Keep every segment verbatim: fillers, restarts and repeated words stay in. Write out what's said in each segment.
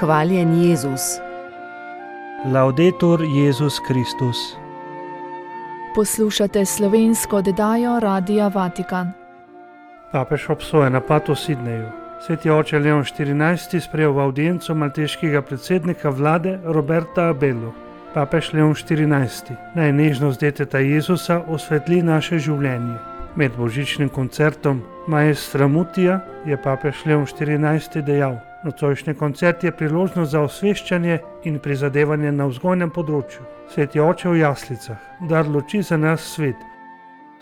Hvaljen Jezus. Laudetur Jezus Kristus. Poslušate slovensko oddajo Radia Vatikan. Papež obsoja napad v Sidneju. Sveti oče Leon štirinajsti sprejel v avdienco malteškega predsednika vlade Roberta Abelo. Papež Leon štirinajsti naj nežnost deteta Jezusa osvetli naše življenje. Med božičnim koncertom Maestra Mutija je papež Leon štirinajsti dejal: nocojšnji koncert je priložnost za osveščanje in prizadevanje na vzgojnem področju. Sveti oče v jaslicah, dar luči za nas svet.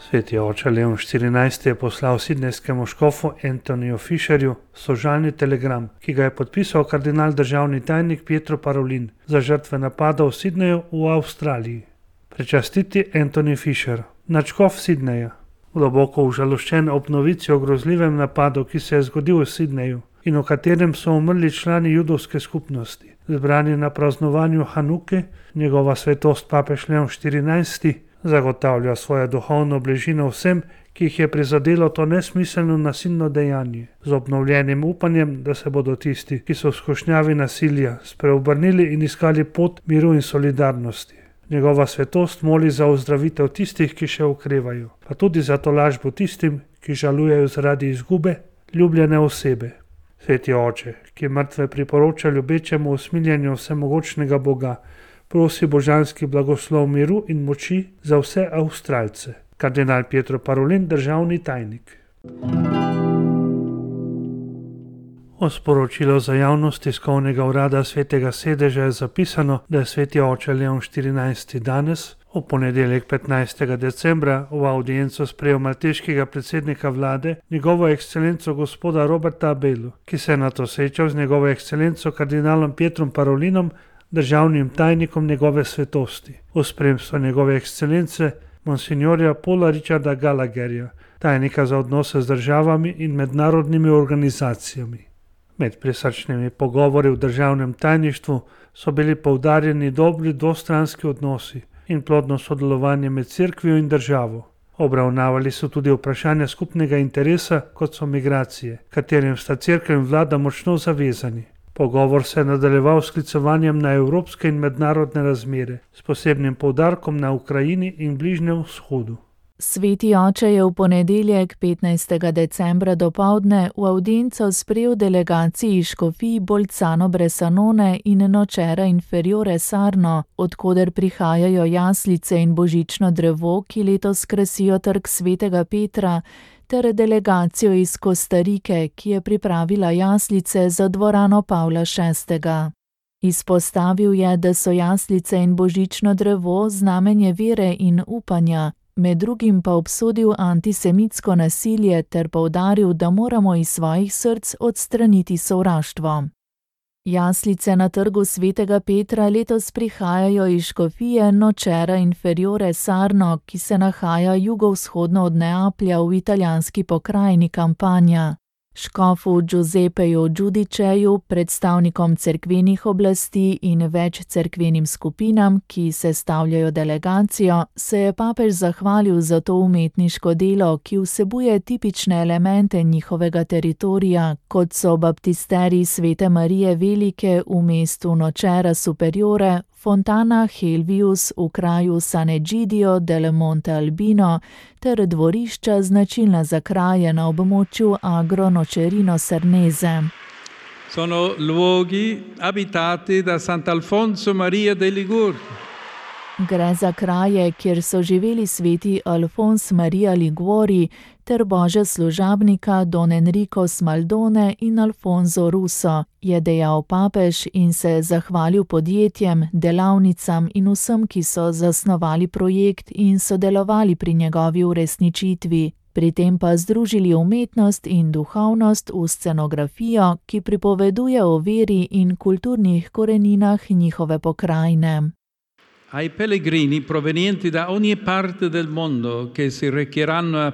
Sveti oče Leon štirinajsti je poslal sidnejskemu škofu Antoniju Fisherju sožalni telegram, ki ga je podpisal kardinal državni tajnik Pietro Parolin za žrtve napada v Sidneju v Avstraliji. Prečastiti Antoni Fisher, nadškof Sidneja, globoko užaloščen ob novici o grozljivem napadu, ki se je zgodil v Sidneju in v katerem so umrli člani judovske skupnosti. Zbrani na praznovanju Hanuke, njegova svetost papež Leon štirinajsti zagotavlja svojo duhovno bližino vsem, ki jih je prizadelo to nesmiselno nasilno dejanje, z obnovljenim upanjem, da se bodo tisti, ki so v skušnjavi nasilja, spreobrnili in iskali pot miru in solidarnosti. Njegova svetost moli za ozdravitev tistih, ki še okrevajo, pa tudi za tolažbo tistim, ki žalujejo zaradi izgube ljubljene osebe. Sveti oče, ki mrtve priporoča ljubečemu usmiljenju vsemogočnega Boga, prosi božanski blagoslov miru in moči za vse Avstralce. Kardinal Pietro Parolin, državni tajnik. O sporočilo za javnost tiskovnega urada Svetega sedeža je zapisano, da je sveti oče Leon štirinajsti danes, v ponedeljek petnajstega decembra, v avdienco sprejel malteškega predsednika vlade, njegovo ekscelenco gospoda Roberta Abelo, ki se je nato srečal z njegovo ekscelenco kardinalom Pietrom Parolinom, državnim tajnikom njegove svetosti, v spremstvu njegove ekscelence monsignorja Paula Richarda Gallagherja, tajnika za odnose z državami in mednarodnimi organizacijami. Med prisrčnimi pogovori v državnem tajništvu so bili poudarjeni dobri dvostranski odnosi in plodno sodelovanje med cerkvijo in državo. Obravnavali so tudi vprašanja skupnega interesa, kot so migracije, katerim sta cerkev in vlada močno zavezani. Pogovor se je nadaljeval s sklicovanjem na evropske in mednarodne razmere, s posebnim poudarkom na Ukrajini in Bližnjem vzhodu. Sveti oče je v ponedeljek petnajstega decembra dopoldne v avdienco sprejel delegaciji škofij Bolzano Bressanone in Nocera Inferiore Sarno, odkoder prihajajo jaslice in božično drevo, ki letos krasijo trg Svetega Petra, ter delegacijo iz Kostarike, ki je pripravila jaslice za dvorano Pavla šestega. Izpostavil je, da so jaslice in božično drevo znamenje vere in upanja, med drugim pa obsodil antisemitsko nasilje ter poudaril, da moramo iz svojih src odstraniti sovraštvo. Jaslice na trgu Svetega Petra letos prihajajo iz škofije Nocera Inferiore Sarno, ki se nahaja jugovzhodno od Neaplja v italijanski pokrajini Campania. Škofu Giuseppeju Giudiceju, predstavnikom cerkvenih oblasti in več cerkvenim skupinam, ki sestavljajo delegacijo, se je papež zahvalil za to umetniško delo, ki vsebuje tipične elemente njihovega teritorija, kot so baptisterij Svete Marije Velike v mestu Nocera Superiore, Fontana Helvius v kraju San Egidio del Monte Albino ter dvorišča značilna za kraje na območju Agro Nocerino Cernese. Sono luoghi abitati da Sant'Alfonso Maria de Liguri. Gre za kraje, kjer so živeli sveti Alfons Maria Liguori ter božja služabnika Don Enrico Smaldone in Alfonso Russo, je dejal papež in se zahvalil podjetjem, delavnicam in vsem, ki so zasnovali projekt in sodelovali pri njegovi uresničitvi, pri tem pa združili umetnost in duhovnost v scenografijo, ki pripoveduje o veri in kulturnih koreninah njihove pokrajine. Ai pellegrini provenienti da ogni parte del mondo che si recheranno a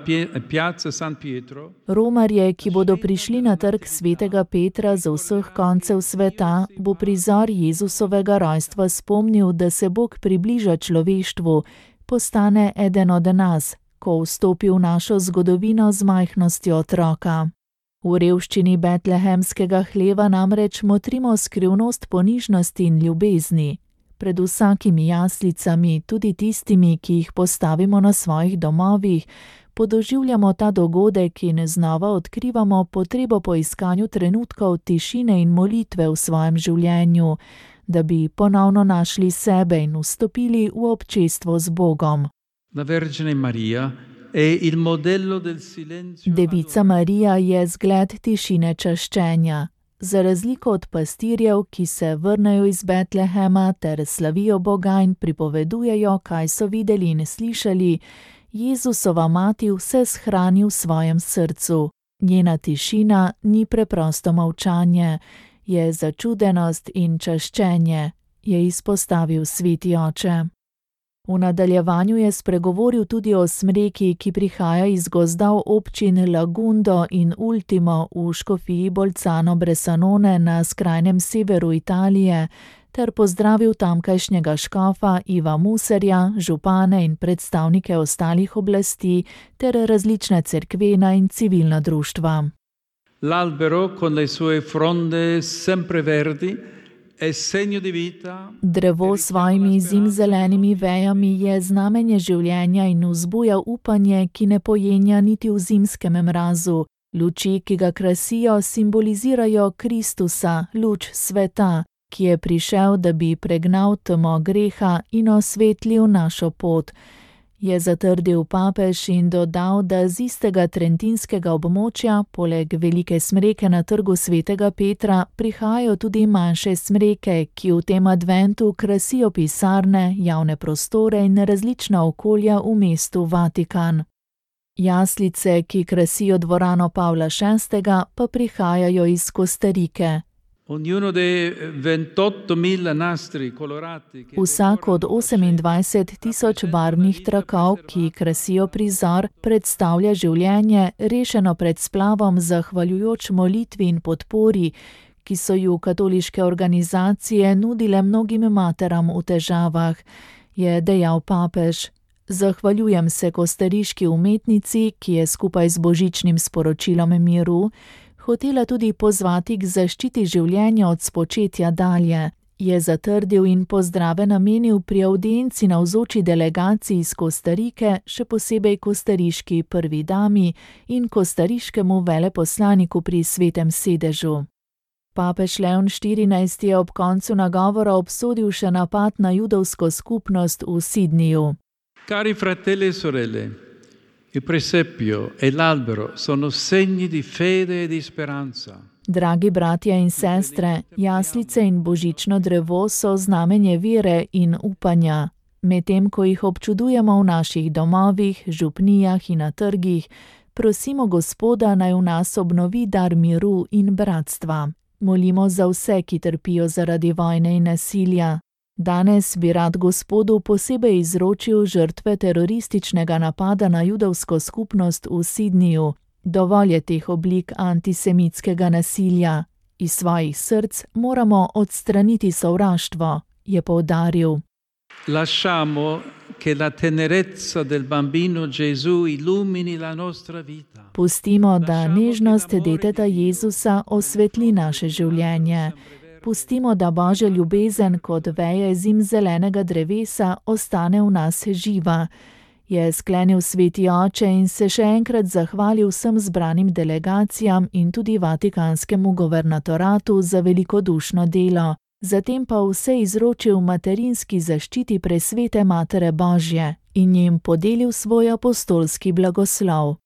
Piazza San Pietro. Romarje, ki bodo prišli na trg Svetega Petra z vseh koncev sveta, bo prizor Jezusovega rojstva spomnil, da se Bog približa človeštvu, postane eden od nas, ko vstopi v našo zgodovino z majhnostjo otroka. V revščini betlehemskega hleva namreč motrimo skrivnost ponižnosti in ljubezni. Pred vsakimi jaslicami, tudi tistimi, ki jih postavimo na svojih domovih, podoživljamo ta dogodek in znova odkrivamo potrebo po iskanju trenutkov tišine in molitve v svojem življenju, da bi ponovno našli sebe in vstopili v občestvo z Bogom. La Vergine Maria è il modello del silenzio. Devica Marija je zgled tišine čaščenja. Za razliko od pastirjev, ki se vrnejo iz Betlehema ter slavijo Boga in pripovedujejo, kaj so videli in slišali, Jezusova mati vse shrani v svojem srcu. Njena tišina ni preprosto molčanje, je začudenost in čaščenje, je izpostavil sveti oče. V nadaljevanju je spregovoril tudi o smreki, ki prihaja iz gozdov občin Lagundo in Ultimo v škofiji Bolzano Bressanone na skrajnem severu Italije, ter pozdravil tamkajšnjega škofa Iva Muserja, župane in predstavnike ostalih oblasti ter različne cerkvena in civilna društva. L'albero con le sue fronde sempreverdi è segno di vita. Drevo s svojimi zimzelenimi vejami je znamenje življenja in vzbuja upanje, ki ne pojenja niti v zimskem mrazu. Luči, ki ga krasijo, simbolizirajo Kristusa, luč sveta, ki je prišel, da bi pregnal temo greha in osvetlil našo pot, je zatrdil papež in dodal, da z istega trentinskega območja, poleg velike smreke na trgu svetega Petra, prihajajo tudi manjše smreke, ki v tem adventu krasijo pisarne, javne prostore in različna okolja v mestu Vatikan. Jaslice, ki krasijo dvorano Pavla šestega, pa prihajajo iz Kostarike. Ognuno dei ventottomila nastri colorati. Vsak od osemindvajset tisoč barvnih trakov, ki krasijo prizor, predstavlja življenje, rešeno pred splavom zahvaljujoč molitvi in podpori, ki so ju katoliške organizacije nudile mnogim materam v težavah, je dejal papež. Zahvaljujem se kostariški umetnici, ki je skupaj z božičnim sporočilom miru hotela tudi pozvati k zaščiti življenja od spočetja dalje, je zatrdil in pozdrave namenil pri avdienci navzoči delegaciji iz Kostarike, še posebej kostariški prvi dami in kostariškemu veleposlaniku pri svetem sedežu. Papež Leon štirinajsti je ob koncu nagovora obsodil še napad na judovsko skupnost v Sydneyju. Cari fratelli e sorelle, il presepio e l'albero sono segni di fede e di speranza. Dragi bratje in sestre, jaslice in božično drevo so znamenje vere in upanja. Medtem ko jih občudujemo v naših domovih, župnijah in na trgih, prosimo Gospoda, naj v nas obnovi dar miru in bratstva. Molimo za vse, ki trpijo zaradi vojne in nasilja. Danes bi rad Gospodu posebej izročil žrtve terorističnega napada na judovsko skupnost v Sydneyju. Dovolj je teh oblik antisemitskega nasilja. Iz svojih src moramo odstraniti sovraštvo, je poudaril. Lasciamo che la tenerezza del bambino Gesù illumini la nostra vita. Pustimo, da nežnost deteta Jezusa osvetli naše življenje. Pustimo, da Božja ljubezen kot veje zimzelenega drevesa ostane v nas živa, je sklenil sveti oče in se še enkrat zahvalil vsem zbranim delegacijam in tudi vatikanskemu guvernatoratu za velikodušno delo. Zatem pa vse izročil materinski zaščiti presvete Matere Božje in jim podelil svoj apostolski blagoslov.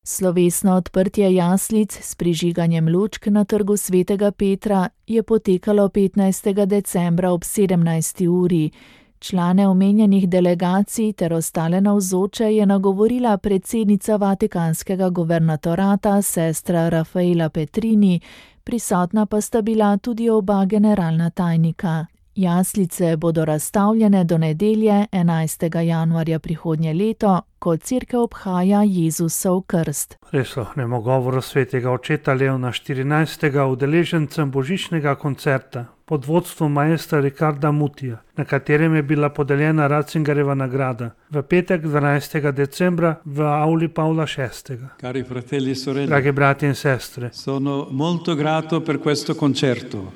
Slovesno odprtje jaslic s prižiganjem lučk na trgu svetega Petra je potekalo petnajstega decembra ob sedemnajsti uri. Člane omenjenih delegacij ter ostale navzoče je nagovorila predsednica vatikanskega guvernatorata, sestra Rafaela Petrini, prisotna pa sta bila tudi oba generalna tajnika. Jaslice bodo razstavljene do nedelje, enajstega januarja prihodnje leto, ko cerkev obhaja Jezusov krst. Prisluhnemo govoru svetega očeta Leona štirinajstega udeležencem božičnega koncerta pod vodstvom maestra Riccarda Mutija, na katerem je bila podeljena Ratzingerjeva nagrada v petek dvanajstega decembra v auli Pavla šestega. Cari fratelli e sorelle, Dragi bratje in sestre, sono molto grato per questo concerto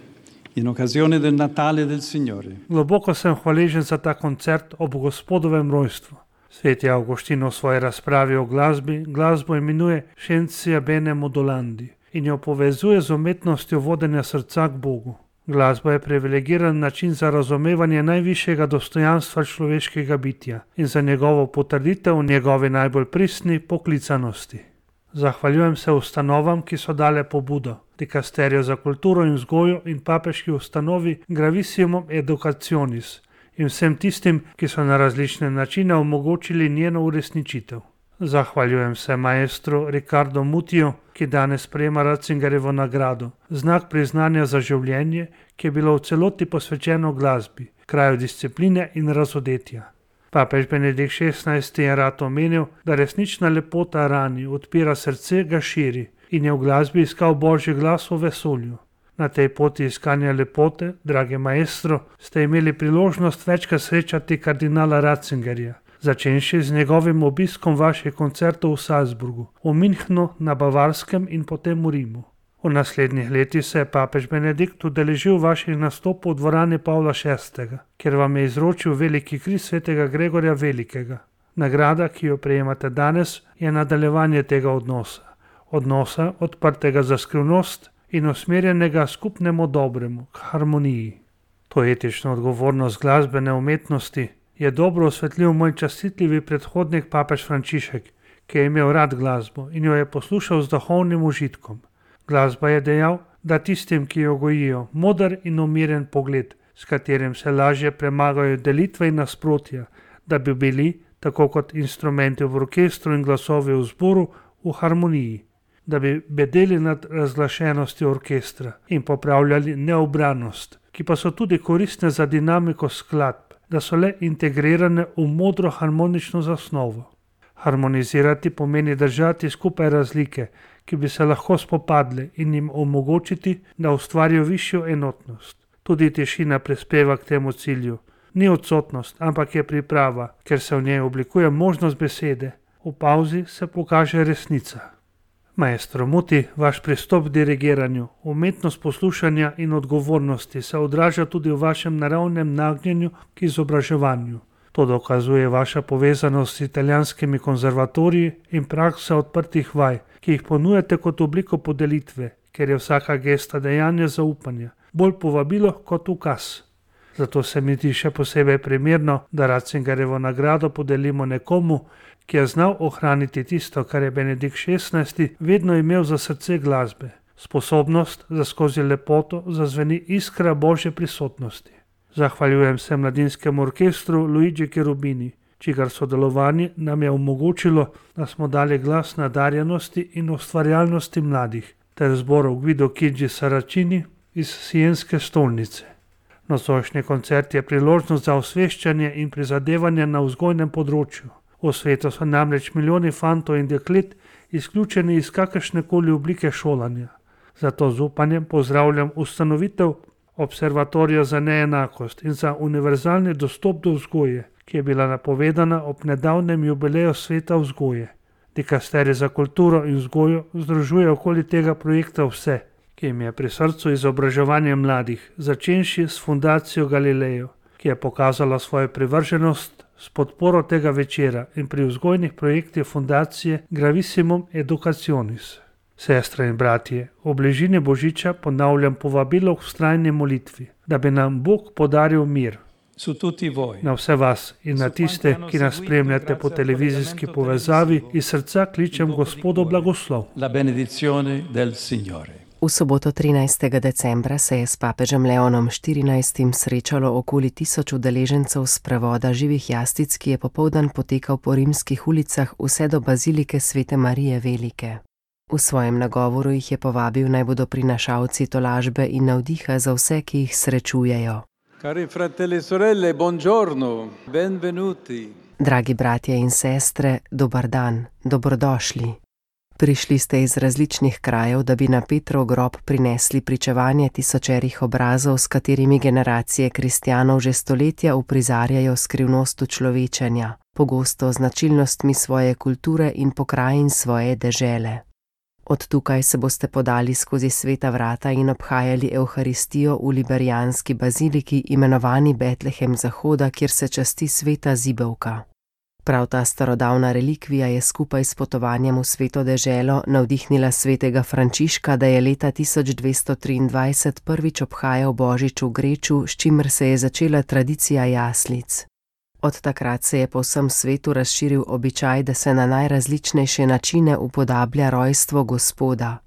in occasione del Natale del Signore. globoko sem hvaležen za ta koncert ob Gospodovem rojstvu. Sveti Avguštin v svoji razpravi o glasbi glasbo imenuje Scientia bene modulandi in jo povezuje z umetnostjo vodenja srca k Bogu. Glasba je privilegiran način za razumevanje najvišjega dostojanstva človeškega bitja in za njegovo potrditev v njegovi najbolj pristni poklicanosti. Zahvaljujem se ustanovam, ki so dale pobudo, Dikasterijo za kulturo in vzgojo in papeški ustanovi Gravissimum Educationis in vsem tistim, ki so na različne načine omogočili njeno uresničitev. Zahvaljujem se maestru Riccardu Mutiju, ki danes prejema Ratzingerjevo nagrado, znak priznanja za življenje, ki je bilo v celoti posvečeno glasbi, kraju discipline in razodetja. Papež Benedikt šestnajsti je rad omenil, da resnična lepota rani, odpira srce, ga širi in je v glasbi iskal Božji glas v vesolju. Na tej poti iskanja lepote, dragi maestro, ste imeli priložnost večkrat srečati kardinala Ratzingerja, začenši z njegovim obiskom vaših koncertov v Salzburgu, v Münchnu, na Bavarskem in potem v Rimu. V naslednjih letih se je papež Benedikt udeležil vaših nastopov v dvorani Pavla šestega, kjer vam je izročil veliki križ svetega Gregorja Velikega. Nagrada, ki jo prejemate danes, je nadaljevanje tega odnosa. Odnosa odprtega za skrivnost in usmerjenega skupnemu dobremu, k harmoniji. To etično odgovornost glasbene umetnosti je dobro osvetlil moj častitljivi predhodnik papež Frančišek, ki je imel rad glasbo in jo je poslušal z duhovnim užitkom. Glasba je dejal, da tistim, ki jo gojijo, moder in umiren pogled, s katerim se lažje premagajo delitve in nasprotja, da bi bili, tako kot instrumenti v orkestru in glasovi v zboru, v harmoniji, da bi bedeli nad razglašenostjo orkestra in popravljali neobranost, ki pa so tudi koristne za dinamiko skladb, da so le integrirane v modro harmonično zasnovo. Harmonizirati pomeni držati skupaj razlike, ki bi se lahko spopadle in jim omogočiti, da ustvarijo višjo enotnost. Tudi tišina prispeva k temu cilju. Ni odsotnost, ampak je priprava, ker se v njej oblikuje možnost besede. V pauzi se pokaže resnica. Maestro Muti, vaš pristop k dirigiranju, umetnost poslušanja in odgovornosti se odraža tudi v vašem naravnem nagnjenju k izobraževanju. To dokazuje vaša povezanost s italijanskimi konzervatoriji in praksa odprtih vaj, ki jih ponujate kot obliko podelitve, ker je vsaka gesta dejanje zaupanja, bolj povabilo kot ukaz. Zato se mi zdi še posebej primerno, da Ratzingerjevo nagrado podelimo nekomu, ki je znal ohraniti tisto, kar je Benedikt šestnajsti vedno imel za srce glasbe, sposobnost, da skozi lepoto zazveni iskra Božje prisotnosti. Zahvaljujem se mladinskemu orkestru Luigi Cherubini, čigar sodelovanje nam je omogočilo, da smo dali glas nadarjenosti in ustvarjalnosti mladih, ter zboru Guido Chigi Saracini iz Sienske stolnice. Nocojšnji koncert je priložnost za osveščanje in prizadevanje na vzgojnem področju. V svetu so namreč milijoni fantov in deklet izključeni iz kakršnekoli oblike šolanja. Zato z upanjem pozdravljam ustanovitev Observatorija za neenakost in za univerzalni dostop do vzgoje, ki je bila napovedana ob nedavnem jubileju sveta vzgoje. Dikasterij za kulturo in vzgojo združuje okoli tega projekta vse, ki jim je pri srcu izobraževanje mladih, začenši s fundacijo Galileo, ki je pokazala svojo privrženost s podporo tega večera in pri vzgojnih projektih fundacije Gravissimum Educationis. Sestre in bratje, v bližini Božiča ponavljam povabilo k vztrajni molitvi, da bi nam Bog podaril mir. Na vse vas in na tiste, ki nas spremljate po televizijski povezavi, iz srca kličem Gospodu blagoslov. V soboto trinajstega decembra se je s papežem Leonom štirinajstim srečalo okoli tisoč udeležencev sprevoda živih jastic, ki je popoldan potekal po rimskih ulicah vse do bazilike Svete Marije Velike. V svojem nagovoru jih je povabil, naj bodo prinašalci tolažbe in navdiha za vse, ki jih srečujejo. Cari fratelli e sorelle, buongiorno, benvenuti. Dragi bratje in sestre, dober dan, dobrodošli. Prišli ste iz različnih krajev, da bi na Petrov grob prinesli pričevanje tisočerih obrazov, s katerimi generacije kristjanov že stoletja uprizarjajo skrivnost človečenja, pogosto značilnostmi svoje kulture in pokrajin svoje dežele. Od tukaj se boste podali skozi sveta vrata in obhajali Evharistijo v liberijanski baziliki, imenovani Betlehem Zahoda, kjer se časti sveta zibelka. Prav ta starodavna relikvija je skupaj s potovanjem v sveto deželo navdihnila svetega Frančiška, da je leta tisoč dvesto triindvajset prvič obhajal Božič v Greču, s čimer se je začela tradicija jaslic. Od takrat se je po vsem svetu razširil običaj, da se na najrazličnejše načine upodablja rojstvo Gospoda.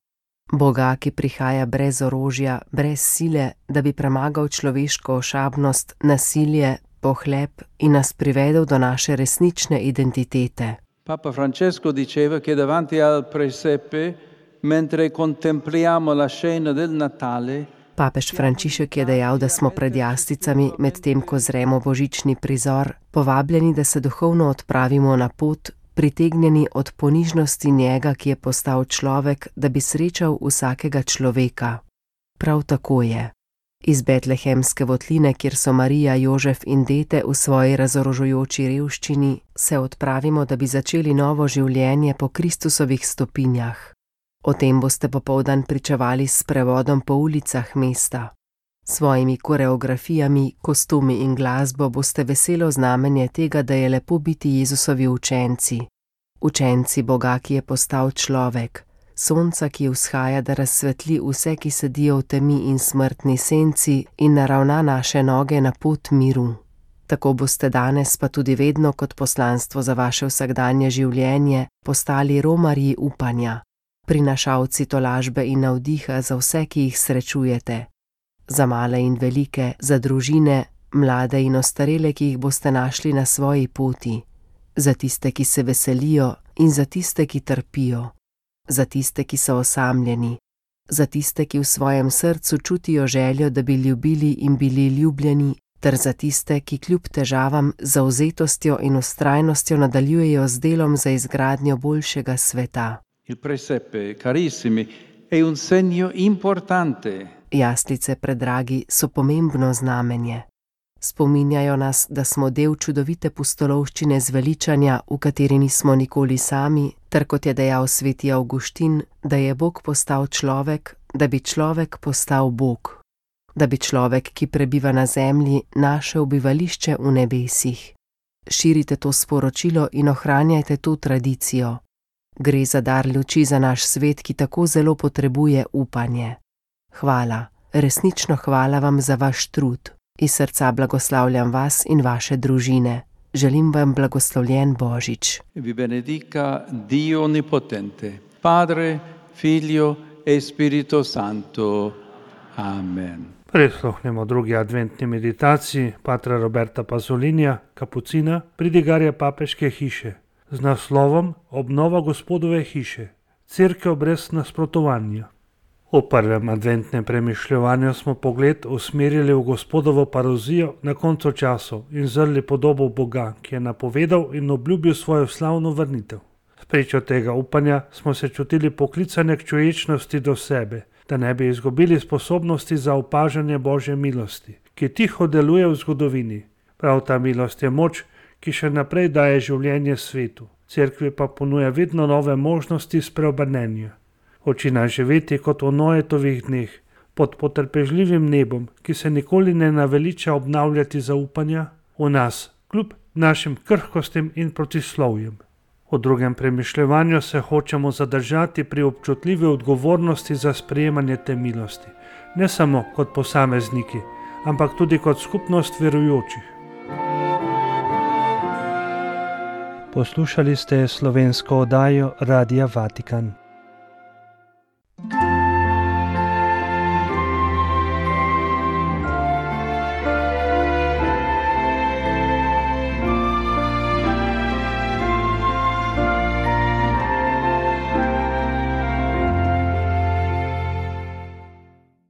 Boga, ki prihaja brez orožja, brez sile, da bi premagal človeško ošabnost, nasilje, pohleb in nas privedel do naše resnične identitete. Papa Francesco diceva che davanti al presepe, mentre contempliamo la scena del Natale, Papež Frančišek je dejal, da smo pred jaslicami, medtem ko zremo božični prizor, povabljeni, da se duhovno odpravimo na pot, pritegnjeni od ponižnosti njega, ki je postal človek, da bi srečal vsakega človeka. Prav tako je. Iz betlehemske votline, kjer so Marija, Jožef in dete v svoji razorožujoči revščini, se odpravimo, da bi začeli novo življenje po Kristusovih stopinjah. O tem boste popoldan pričevali s sprevodom po ulicah mesta. Svojimi koreografijami, kostumi in glasbo boste veselo znamenje tega, da je lepo biti Jezusovi učenci. Učenci Boga, ki je postal človek, sonca, ki vzhaja, da razsvetli vse, ki sedijo v temi in smrtni senci in naravna naše noge na pot miru. Tako boste danes, pa tudi vedno kot poslanstvo za vaše vsakdanje življenje, postali romarji upanja, prinašalci tolažbe in navdiha za vse, ki jih srečujete. Za male in velike, za družine, mlade in ostarele, ki jih boste našli na svoji poti. Za tiste, ki se veselijo in za tiste, ki trpijo. Za tiste, ki so osamljeni. Za tiste, ki v svojem srcu čutijo željo, da bi ljubili in bili ljubljeni, ter za tiste, ki kljub težavam, zavzetostjo in vztrajnostjo nadaljujejo z delom za izgradnjo boljšega sveta. Il presepe, carissimi, è un segno importante. Jaslice, predragi, so pomembno znamenje. Spominjajo nas, da smo del čudovite pustolovščine zveličanja, v kateri nismo nikoli sami, ter kot je dejal sveti Avguštin, da je Bog postal človek, da bi človek postal Bog. Da bi človek, ki prebiva na zemlji, našel bivališče v nebesih. Širite to sporočilo in ohranjajte to tradicijo. Gre za dar luči za naš svet, ki tako zelo potrebuje upanje. Hvala, resnično hvala vam za vaš trud. Iz srca blagoslavljam vas in vaše družine. Želim vam blagoslovljen Božič. Vi benedica Dio Onnipotente, Padre, Figlio e Spirito Santo. Amen. Prisluhnemo drugi adventni meditaciji patra Roberta Pazolinija, kapucina, pridigarja papeške hiše, z naslovom Obnova Gospodove hiše, Cerkev brez nasprotovanja. V prvem adventnem premišljevanju smo pogled usmerili v Gospodovo parozijo na koncu časov in zrli podobo Boga, ki je napovedal in obljubil svojo slavno vrnitev. Spričo tega upanja smo se čutili poklicane k človečnosti do sebe, da ne bi izgubili sposobnosti za opažanje Božje milosti, ki tiho deluje v zgodovini. Prav ta milost je moč, ki še naprej daje življenje svetu. Cerkvi pa ponuja vedno nove možnosti spreobrnenja. Hoče nas živeti kot v Noetovih dneh, pod potrpežljivim nebom, ki se nikoli ne naveliča obnavljati zaupanja v nas, kljub našim krhkostim in protislovjem. V drugem premišljevanju se hočemo zadržati pri občutljivi odgovornosti za sprejemanje te milosti, ne samo kot posamezniki, ampak tudi kot skupnost verujočih. Poslušali ste slovensko oddajo Radia Vatikan.